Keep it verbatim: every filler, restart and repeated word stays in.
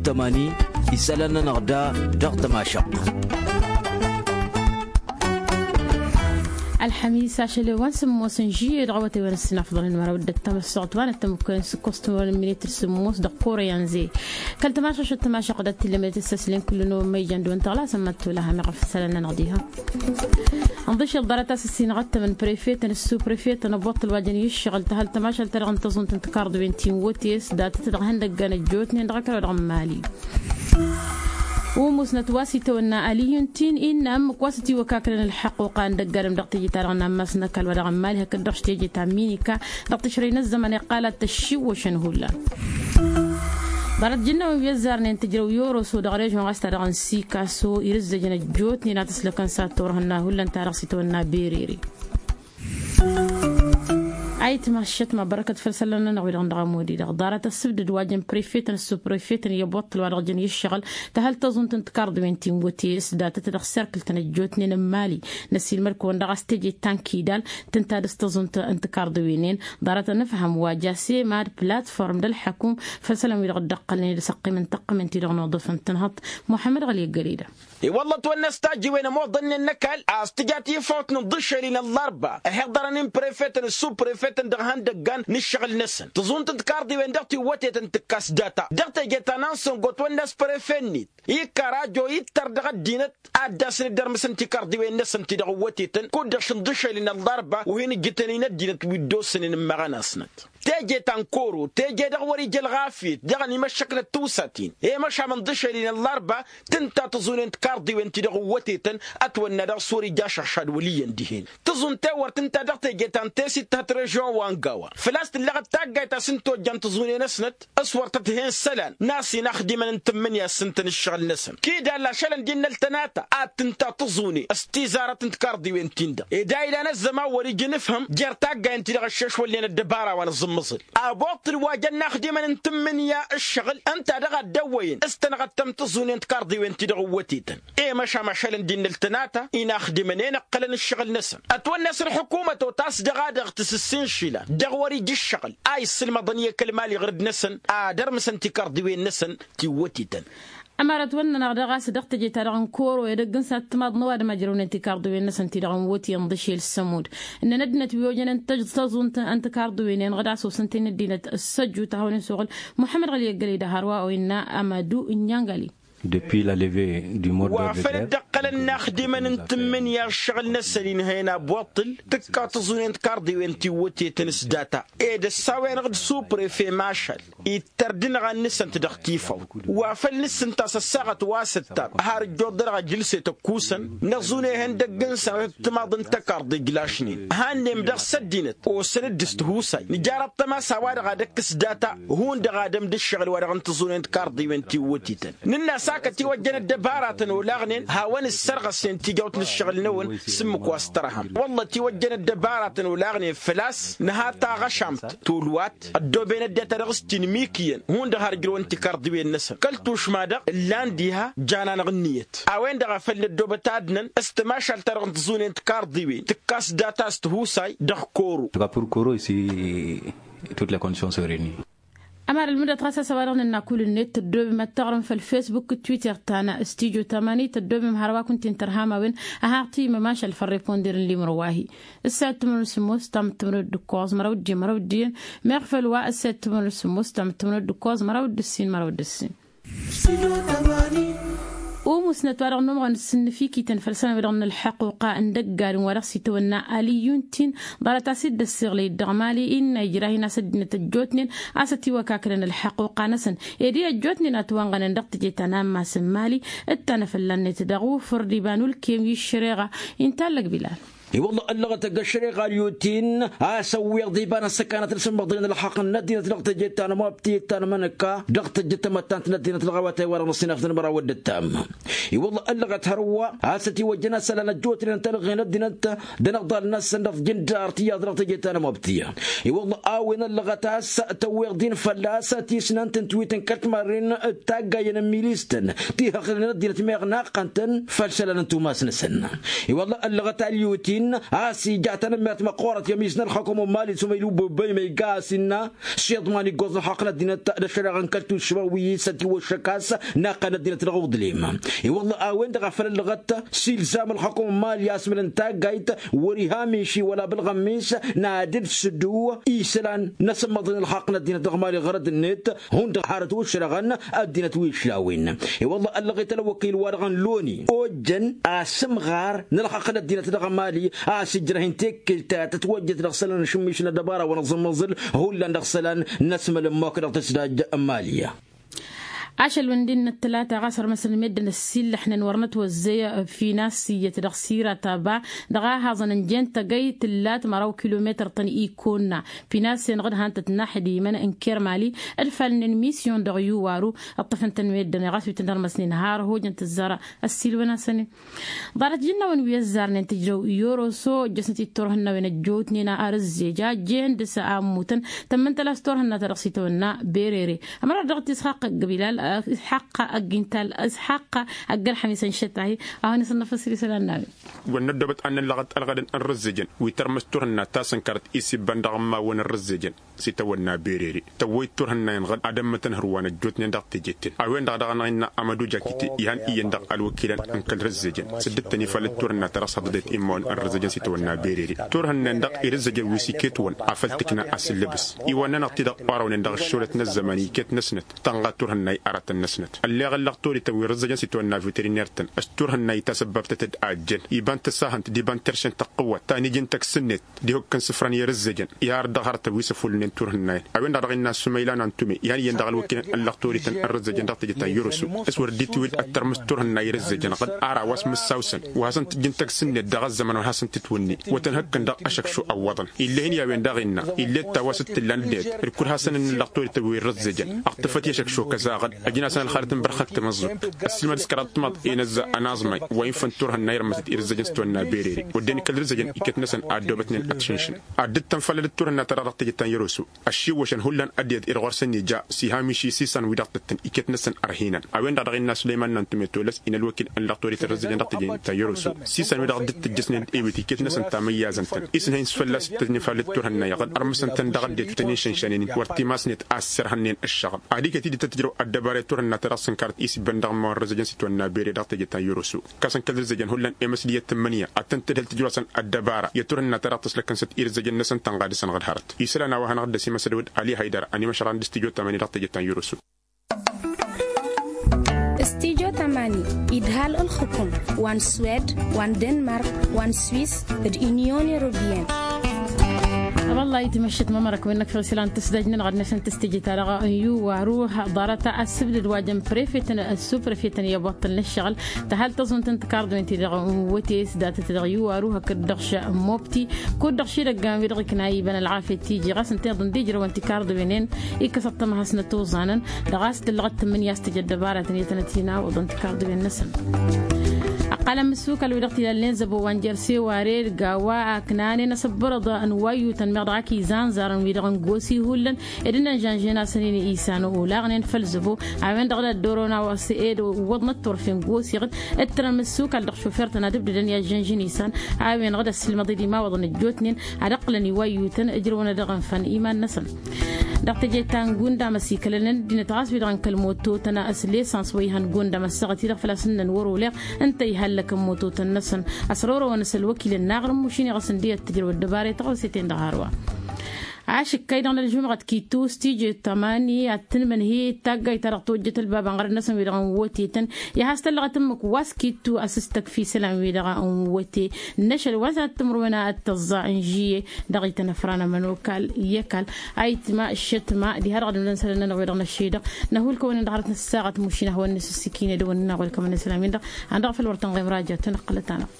Tămani isălan-nănăɣ da dăɣ-tămašăɣt. Ălxămis ašăl i-wa n-sǝmmos n-žiyye dăɣ-awătay wa n-ăssinafḍălăn măraw d-ăttămăssoɣt wa n-ăttămăkkăyăn s-ǝkkost timărăn n-minităr sǝmmos dăɣ-kore i-anze. Kăl-tămašăšăt tămašăɣt ad-t-illa măyăt ǝssăslen kull-năwăn măyjan d-wăn tăɣlasăn mad-tolaha meɣ ăfsălăn-nănăɣ diha. Ǝnḍǝšel ḍarăt a-s ǝssinăɣ ăttămăn prefetăn s-suprefetăn ăbbuṭṭǝl wa jăn i-ǝššăɣǝl tăhăl tămašalt-ta-dăɣ n-tăẓunt n-tikarḍiwen ti n-wătes datăt dăɣ-ihăndăggan ăjjootnen dăɣ-ăkall-wa-dăɣ n-mali. Umusnăt wa s-itawănna aliyun-t-in innă ǝmmǝk wa s-ătiwăkaknăn ălḥăqquqa n-dăgg-adǝm dăɣ-teje-ta-dăɣ n-ammas n-ăkall-wa-dăɣ n-mali hakd-dăɣ s-teje ta n-minika dăɣ-tǝšrăy n-ăzzăman iqqal ad-t-ăššiwwăšăn hullan. Ḍarăt jǝnnăwăn wi ăzzarnen tǝjrăw i-oroso dăɣ-režon ɣas ta dăɣ-n sikaso irǝzzăjăn ăjjootnen ad-t-ǝslăkăn s-ad-turhǝnna hullan ta dăɣ-s itawănna berere. Ayǝtma ăššătma bărăkăt făll-isălan-nănăɣ wi-dăɣ n-dăɣ-ămodi-dăɣ ḍarăt ăssǝbdăd wa jăn prefetăn s-suprefetăn i-ăbboṭṭăl wa dăɣ-jăn i-ǝššăɣǝl tăhăl tăẓunt n-tikarḍiwen ti n-wătes datăt dăɣ-serkǝl-tăn ăjjootnen n-mali. Năsiilmăd-kăwăn dăɣ-a-s teje ta n-kidal tǝnta dăɣ-s tăẓunt n-tikarḍiwen-en. Ḍarăt ănǝfhăm wa ja semad platform d-ălḥăkum făll-isălan wi-dăɣ dd-ăqqălnen d-asăqqim n-tăqqǝmen-ti-dăɣ n-uḍǝf n-tǝnhăḍt. Muḥămmăd ɣăli ăggăleda. I-wălla ătwănna s-tajǝwen ămoḍănnen n-ăkall a-s tǝja tifawt n-inḍǝšel-in ăllărba ăhiḍărăn-in prefetăn d-suprefetăn dăɣ-ihăndăggan n-ǝššăɣǝl-năsăn tăẓunt n-tikarḍiwen dăɣ-tiwwătetăn tǝkkas data dăɣ-teje ta n-ansăngo ătwănna s-prefe-net ikkărajo ittăr dăɣ-ăddinăt ad-dd-asǝn dd-ărmǝsăn tikarḍiwen-năsăn ti-dăɣ ǝwwătetăn kud-dăɣ šǝnḍǝšel-in ăllărba wi hin-ǝjjǝtăn-in ăddinăt wi dd-ossănen n-imăɣănasnăt. Teje ta n-koro teje dăɣ-wăr-ija ălɣafyăt dăɣ-ănimăššăknăt tiwsaten i-măšam ǝnḍǝšel-in ăllărba tǝnta tăẓunen tikarḍiwen ti-dăɣ ǝwwătetăn ătwănna dăɣ-s wăr-ija ašăɣšad wăl' iyyăn dihen. Tǝẓun tewărt ǝnta dăɣ-teje ta n-tesit tǝhăt režon wa n-gawa făl-a-s tǝlleɣ d-taggayt a-s ǝnta ojjan tăẓunen-năsnăt s-wăr tăt-hen isălan n-a-s inaxdimăn n-tǝmmǝnǝya s-ǝntăn ǝššăɣǝl-năsăn kidall ašălăn d-innăl tănata ad-tǝnta tăẓune s-tizarăt n-tikarḍiwen-tin-dăɣ ed a ilan ăzzăman wăr-ija anǝfhǝm jer-taggayen-ti-dăɣ ăššešwălnen ăddăbara wa n-aẓǝmmăẓǝl. Aboṭṭǝl wa jăn inaxdimăn n-tǝmmǝnǝya ǝššăɣǝl ǝnta dăɣ-a dd-ăwwăyăn s-tănɣăttăm tăẓune n-tikarḍiwen-ti-dăɣ ǝwwătetăn i-măšan ašălăn d-innăl tănata inaxdimăn-en ǝqqălăn ǝššăɣǝl-năsăn ătwănna s-ălḥǝkumăt otas dăɣ-a-dăɣ tǝsǝssin išilan dăɣ-wăr-ija ǝššăɣǝl a issǝlmăḍăn i-kăl-mali ɣur-dd-năsăn ad-ărmǝsăn tikarḍiwen-năsăn tiwwătetăn. Ămărat wăr nănăɣ daɣ a-s dăɣ-teje-ta-dăɣ n-koro edăgg n-sat timaḍ n-ăwadǝm a jărăwnen tikarḍiwen-năsăn ti-dăɣ n-wăti ǝnḍǝšel sămud ǝnnăn ăddinăt wi ojănen tăẓ-tăẓunt n-tikarḍiwen-en ɣǝd a-s osăn-ten ăddinăt s-ăjju ta hawăn-in-suɣǝl. Muḥămmăd ɣăli ăggălăy d-ahărwa oynna amadu n-inyăngăli. Wa făl dd-ăqqălăn inaxdimăn n-tǝmmǝnǝya ǝššăɣǝl-năsăn inhăyăn aboṭṭǝl tǝkka tăẓune n-tikarḍiwen tiwwătetăn s-data ed ăssawen-ăɣ d-suprefe mašal ittăr d-inɣan-năsăn-t dăɣ-tifawt. Wa făl nǝssǝnta s-ăssaɣăt wa s-ǝttab har ǝjjuḍ-dăɣ ajǝlset ăkkusăn năẓune ihăndăgg-năsăn ad-t-timaḍ n-tăkarḍe ǝjlašnen. Hannem dăɣ-s ăddinăt osăn-dd s-tihusay nǝjar ăṭṭămas a-wa-dăɣ ad-ăkkǝs data hundăɣ adǝm d-ǝššăɣǝl wa dăɣ-n tăẓune n-tikarḍiwen tiwwătităn. Nǝnn'-as a kăt-iwăjjăn ăddăbaratăn olaɣnen hawăn-ǝssărɣăsnen tijawt n-ǝššăɣǝl-năwăn s-ǝmmǝk wa s-tărhăm wălla ătiwăjjăn ăddăbaratăn olaɣnen făl-a-s nǝha taɣăšamt tolwat ăddooben ăddinăt a dăɣ-s tinmik iyyăn hundăɣ har ǝjrăwăn tikarḍiwen-năsăn kăl-tušma-dăɣ ǝllan diha jan-anăɣ ǝnniyăt. A-wen-dăɣ a făl năddoobăt adǝnăn s-tamašalt-ta-dăɣ n-tăẓune n-tikarḍiwen tǝkkas data s-tihusay dăɣ-koro. Dăɣ-apur koro isi tut la condition s-oreni. Ămăra ǝlmǝdăt ɣas a-s a-wa-dăɣ nǝnna kull-net tăddoobem ad-taɣrǝm făll-fesbuk d-twitter ta n-stijo tamani tăddoobem hărwa kunta-en tărham a-wen. Ad-haɣ-timǝm ašăl făll-reponder n-limro wa-hi. Ǝssa i-ăttămănăw d-sǝmmos tamǝttămănăw d-ǝkkoẓ măraw d-ijji măraw d-iyyăn. Meɣ făll-wa ǝssa i-ăttămănăw d-sǝmmos tamǝttămănăw d-ǝkkoẓ măraw d-ǝssin măraw d-ǝssin. Umusnăt wa dăɣ-numɣăn s-ǝnnǝfikităn făll-isălan-wi-dăɣ n-ălḥăqquqa n-dăgg-adǝm wa dăɣ-s itwănna aliyun-t-in. Ḍarăt a-s dd-ăssiɣlăy dd-dăɣ mali innă ijrah-in a-s ăddinăt ăjjootnen a-s ătiwăkaknăn ălḥăqquqa-năsăn. Ed i-ăjjootnen a ătwănɣănăn dăɣ-teje ta n-ammas n-mali ǝttanăfălla-net dăɣ-ufǝr d-iba n-ulkem i-ǝššăreɣa. Inta allăg bilal. I-wălla ăllăɣăt ăgg-ăššăreɣa aliyut-in a-s ăwweḍ iba n-ăssăkanăt n-asǝmmăḍălăn ălxaqq n-ăddinăt dăɣ-teje ta n-amwabti ta n-amănăkka dăɣ-tejjăt tamăttant n-ăddinăt dăɣ-awătay wa-dăɣ n-ăṣṣinafăt n-măraw d-ǝttam. I-wălla ăllăɣăt hărwa a-s ătiwăjjăn asălan ăjjootnen tălɣen ăddinăt d-anăɣḍal-năsăn dăɣ-tijǝndar tiyyăḍ dăɣ-teje ta n-amwabti. I-wălla a-wen ăllăɣăt a-s tăwweḍ-in fălla-s tisnant n-tiwit n-kăl-timarren d-taggayen n-milistăn ti hăɣrǝn ăddinăt meɣ naqqăn-tăn făll-isălan n-tumas-năsăn. I-wălla ăllăɣăt aliyut-in. A-s ija tanămmert măqqoorăt i-ămiz n-ălxukum n-imali s-umăylu băbăy ma iga a-s innă s-iḍman iggoẓ n-ălxaqq n-ăddinăt d-ăššăreɣa n-kăl-tušma wi s-ătiwăššăk a-s n-aqqan ăddinăt dăɣ-uḍlim. I-wălla a-wen-dăɣ a făl ăllăɣăt s-ilzam ălxukum n-imali a-s mălăn taggayt wăr-iha miši wăla bălɣămmis n-ad-dd-sǝddu isălan n-asǝmmăḍăn ălxaqq n-ăddinăt dăɣ-imali ɣărăd-net. Hundăɣ harăt wăššărăɣăn ăddinăt wi ǝšlawin. I-wălla ăllăɣet ălwăkil-wa-dăɣ n-loni ojăn asǝmɣar n-ălxaqq n-ăddinăt dăɣ-imali a-s ǝjrăh-in tekkelt ta tătwăjjăt dăɣ-isălan n-ašǝmmiš n-ăddăbara wa n-aẓǝmmăẓǝl hullan dăɣ-isălan n-asmălămmok dăɣ-tǝsdaj n-imali. Ašăl wǝndin n-ăttălata ɣas ărmăsăn meddǝn ăssiillăḥnen wăr nătwăzzăy finas iyyăt dăɣ-sira taba dăɣ-ahaẓăn ǝnjen tăgăy tǝllat măraw kilometăr-tăn ikonna. Pinas-en ɣǝd han-tăt n-aḥdimăn n-kermali d-falnen misyon dăɣ-yuwaru. Ǝṭṭăfăn-tăn meddǝn ɣas wi tăn-ărmăsnen har hojăn tǝzzar ăssiilwăn-asăn-in. Ḍarăt jǝnnawăn wi ăzzarnen tǝjrăw i-oroso ăjjăsnăt-dd turhǝnnawen ăjjootnen ar ǝzzej a ăjjeen dăr-s a ămmutăn. Tămmǝntăl a-s turhǝnna ta dăɣ-s itawănna berere ămărat dăɣ-t isxaqq ăgg-bilal isxaqq ăgg-intal isxaqq ăgg-ălxămis ănšăt-ahi. A hawăn-isănnăfăs ri isălan n-a-wen. Wăr năddobăt ad-năllăɣăt ălɣădăn n-rǝzzejăn wi tărmǝs turhǝnna ta s-ǝnkărăt isibbăn dăɣ-ămmawăn n-rǝzzejăn s-itawănna berere tăwwăy-dd turhǝnna-in ɣǝd ad-ămmǝtăn hărwa n-ăjjootnen dăɣ-tejeten. A-wen-dăɣ daɣ-năɣ innă amăduja kite ihan iyyăn dăɣ-ălwăkilăn n-kăl-rǝzzejăn s-dd-tăn-ifalăt turhǝnna ta dăɣ-s hăḍăḍet immawăn n-rǝzzejăn s-itawănna berere turhǝnna-in dăɣ-irǝzzejăn wi s-iket-wăn afăl tǝkna asǝllǝbǝs iwănna-năɣ-t-dăɣ orăwnen dăɣ-ăššolăt n-ăzzăman iket-năsnăt tănɣa turhǝnna i-aratăn-năsnăt. Ălleɣ ăllăɣ-t orătăn wi rǝzzăjăn s-itwănna veteriner-tăn s-turhǝnna itasăbbabtăt-dd a ăjjăn iba n-tăsahănt d-iba n-terše n-tăqqǝwwăt ta n-iji n-tăkk s-net d-ihukk n-sǝfra n-i-rǝzzăjăn. Ihar dăɣ-hărătăn wi s-ăfulnen turhǝnna-in a-wen-dăɣ dăɣ-innă s-umăyla n-antume ihan iyyăn dăɣ-ălwăkilăn ăllăɣ torităn n-rǝzzăjăn dăɣ-teje ta n-yăroso. S-wăr dd-itwǝl ad-tărmǝs turhǝnna i-rǝzzăjăn ɣǝd ara wa s-mǝssaw-săn wa hasăn-t-ǝjǝn tăgg s-net dăɣ-ăzzăman wa hasăn-t-ǝtwǝnne. Wăr tăn-hăkkăn dăɣ-ašăkšu ăwwăḍăn ill'-e-hin i-a-wen-dăɣ innă ill'-e d-tawa s-dd-tǝllan dd-et d-kul hasăn-ănnăllăɣ torităn wi n-rǝzzăjăn. Ăɣtǝfăt i-ašăkšu kăzaɣăd ăjǝn-asăn ălxalăt n-bărxăk tamăẓẓubt. Ăssiilmăd s-kăraḍ timaḍ i-inăzza ănaẓmay wa infăn turhǝnna irmăsăt irǝzzăjăn s-tiwănna berere. Wădden kăl-irǝzzăjăn iket-năsăn a ăddoobătnen ad-t-šǝnšǝn ad-dd-tănfălălăt turhǝnna ta dăɣ-teje ta n-yăroso. Ăššiwwăšăn hullan ăddinăt irɣur-săn ija s-iha miši s-isan-wi-dăɣ tǝttǝn iket-năsăn ărhinăn. A-wen-dăɣ dăɣ-innă sulăyman n-antume tolăs-in ălwăkil n-lăɣ torităn rǝzzăjăn dăɣ-teje ta n-yăroso. S-isan-wi-dăɣ dd-tǝjjăsnen d-ewit iket-năsăn tamăyyazăn-tăn isǝnhăyăn s-fălla-s t-tănifalăt turhǝnna iɣăd ărmǝsăn-tăn dăɣ-ăddinăt wi tăn-inšănšănen wăr timasnet a ăssărhănnen ăššăɣăb. Ad-iket-dd tăt-tǝjrăw ăddăbara i-turhǝnna ta dăɣ-s ǝnkărăt isǝbbăn dăɣ-ămmaw n-rǝzzăjăn s-itwănna bere dăɣ-teje ta n-yăroso. Kăs-n kăl-irǝzzăjăn hullan i-măsdiyăt tǝmmǝnǝya ad-tăn-tǝdhǝl tǝjrasăn ăddăbara i-turhǝnna ta dăɣ-tăslăkkăn s-ad-irǝzzăjăn-năsăn tănɣa dăr-săn ɣǝd hărăt. Isălan a-wa hanăɣ-dd-ăsimăsăd wădd ali haydăr ănimăšăran d-studyo tamani dăɣ-teje ta n-yăroso. Studyo tamani idhal ǝlxǝkum wa n-swed wa n-denmark wa n-swis d-inyon europeyăn. Wăllah itmăššăt mămărăk wi n-năkfăɣ isălan tǝsdăj-nănăɣ ad-năsăn tǝstǝjǝt a-dăɣ n-yuwaru. Ḍarăt ăssǝbdăd wa jăn prefetăn ăssuprefetăn i-ăboṭṭăl n-ǝššăɣǝl. Tăhăl tăẓunt n-tikarḍwen-ti-dăɣ n-wăte s-datăt dăɣ-yuwaru hakd-dăɣ š-mobti kud-dăɣ šidăggan wi-dăɣ ikna iba n-ălɣafyăt tiji ɣas ǝnta iḍǝn d-ijrăwăn tikarḍwen-en. Ikkăs ăṭṭămăhăs n-ătoẓanăn dăɣ-a-s tǝllăɣăt tǝmmǝnǝya a-s tǝjăt dăbaratăn i-tănăt-inaw ǝḍăn tikarḍwen-năsăn. Ăqqalăn mǝssukal wi-dăɣ t-ilalnen zăbo wa n-jerseware d-gawa a ǝknanen asǝbbărăḍ n-iwayyutăn meɣ dăɣ-ak izanzarăn wi-dăɣ n-gosi hullan. Ed ǝnnăn žănžen-asăn-in isan olaɣnen făll-zăbo a-wen-dăɣ d-ăddorăwăn a-wa s-ed ǝwwăḍnăt turfen gosi ɣǝd. Ǝttărăn mǝssukal dăɣ-šofer-tăn ad-ǝbdǝdăn i-ad-žănžen isan a-wen-dăɣ d-ăssilmăḍ-dd imawăḍăn ăjjootnen ad-ăqqǝlăn iwayyutăn ǝjrăwăn ad-dăɣ-ǝnfăn iman-năsăn. Dăɣ-teje ta n-gundam ăsikălăn ăddinăt ɣas wi-dăɣ n-kăl-mototăn s-lesans wa ihăn gundam ăssaɣăt-i-dăɣ făl-a-s ǝnnăn wăr-oleɣ. Ǝnta ihallăkăn mototăn-năsăn ăsrorăwăn s-ălwăkilăn n-aɣrǝm mušin iɣăs ǝndi ad-tǝjrăw ăddăbare tăɣoseten dăɣ-hărwa. Ašǝkkay-dăɣ n-ălžumɣăt kittu s-tije tamani ad-tǝnmǝnhǝy d-taggayt-ta-dăɣ tojjăt ălbab n-ɣărăt-năsăn wi-dăɣ n-wătetăn. I-ad-has-tăllăɣăt ǝmmǝk wa s-kittu a-s s-tăkf isălan-wi-dăɣ n-wăte n-ašăl wa s-ad-tǝmrǝwăn ad-tăẓẓa n-žiye. Dăɣ-ităn ăfranămăn okal i-ăkall ayǝtma ǝššătma diha-dăɣ ad-ǝmdăn isălan-nănăɣ wi-dăɣ n-ăššăy-dăɣ. Năhulkăwăn-in dăɣ-hărăt n-ăssaɣăt mušin ad-hawăn-nǝsǝssǝkine d-wăn-nănăɣ welkămăn isălan-win-dăɣ. Ad-dăɣ făl wăr tănɣem raja tăn-ăqqălăt-anăɣ.